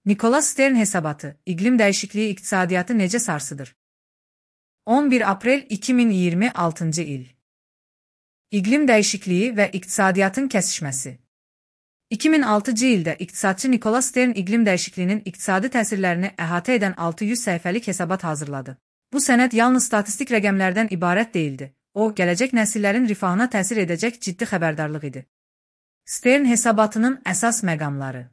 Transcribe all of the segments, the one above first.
Nicholas Stern hesabatı, iqlim dəyişikliyi iqtisadiyyatı necə sarsıdır? 11 aprel 2026 il. İqlim dəyişikliyi və iqtisadiyyatın kəsişməsi. 2006-cı ildə iqtisadçı Nicholas Stern iqlim dəyişikliyinin iqtisadi təsirlərini əhatə edən 600 səhifəlik hesabat hazırladı. Bu sənəd yalnız statistik rəqəmlərdən ibarət deyildi. O, gələcək nəsillərin rifahına təsir edəcək ciddi xəbərdarlıq idi. Stern hesabatının əsas məqamları.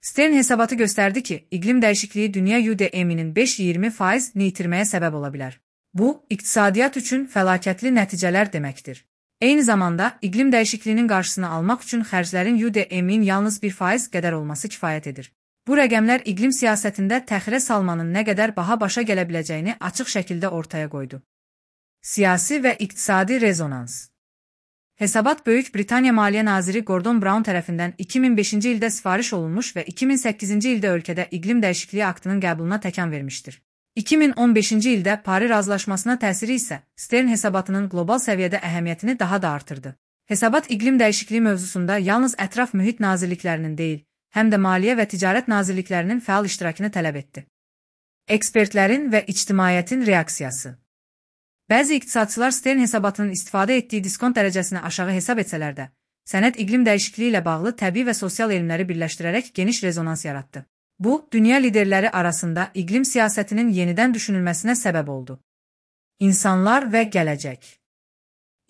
Stern hesabatı göstərdi ki, iqlim dəyişikliyi dünya UDM-inin 5-20%-ni itirməyə səbəb ola bilər. Bu, iqtisadiyyat üçün fəlakətli nəticələr deməkdir. Eyni zamanda, iqlim dəyişikliyinin qarşısını almaq üçün xərclərin UDM-in yalnız 1% qədər olması kifayət edir. Bu rəqəmlər iqlim siyasətində təxirə salmanın nə qədər baha başa gələ biləcəyini açıq şəkildə ortaya qoydu. Siyasi və iqtisadi rezonans. Hesabat Böyük Britaniya Maliyyə Naziri Gordon Brown tərəfindən 2005-ci ildə sifariş olunmuş və 2008-ci ildə ölkədə iqlim dəyişikliyi aktının qəbuluna təkan vermişdir. 2015-ci ildə Paris razılaşmasına təsiri isə Stern hesabatının qlobal səviyyədə əhəmiyyətini daha da artırdı. Hesabat iqlim dəyişikliyi mövzusunda yalnız ətraf mühit nazirliklərinin deyil, həm də maliyyə və ticarət nazirliklərinin fəal iştirakını tələb etdi. Ekspertlərin və ictimaiyyətin reaksiyası. Bəzi iqtisadçılar Stern hesabatının istifadə etdiyi diskont dərəcəsini aşağı hesab etsələr də, sənəd iqlim dəyişikliyi ilə bağlı təbii və sosial elmləri birləşdirərək geniş rezonans yaratdı. Bu, dünya liderləri arasında iqlim siyasətinin yenidən düşünülməsinə səbəb oldu. İnsanlar və gələcək.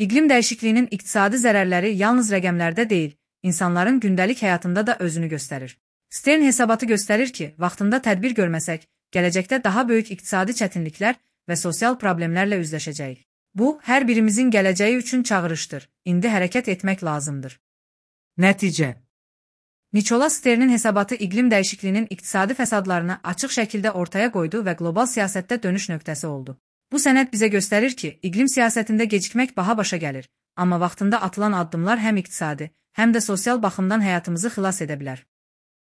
İqlim dəyişikliyinin iqtisadi zərərləri yalnız rəqəmlərdə deyil, insanların gündəlik həyatında da özünü göstərir. Stern hesabatı göstərir ki, vaxtında tədbir görməsək, gələcəkdə daha böyük iqtisadi çətinliklər və sosial problemlərlə üzləşəcəyik. Bu, hər birimizin gələcəyi üçün çağırışdır. İndi hərəkət etmək lazımdır. Nəticə. Nicholas Stern'in hesabatı iqlim dəyişikliyinin iqtisadi fəsadlarını açıq şəkildə ortaya qoydu və qlobal siyasətdə dönüş nöqtəsi oldu. Bu sənəd bizə göstərir ki, iqlim siyasətində gecikmək baha başa gəlir, amma vaxtında atılan addımlar həm iqtisadi, həm də sosial baxımdan həyatımızı xilas edə bilər.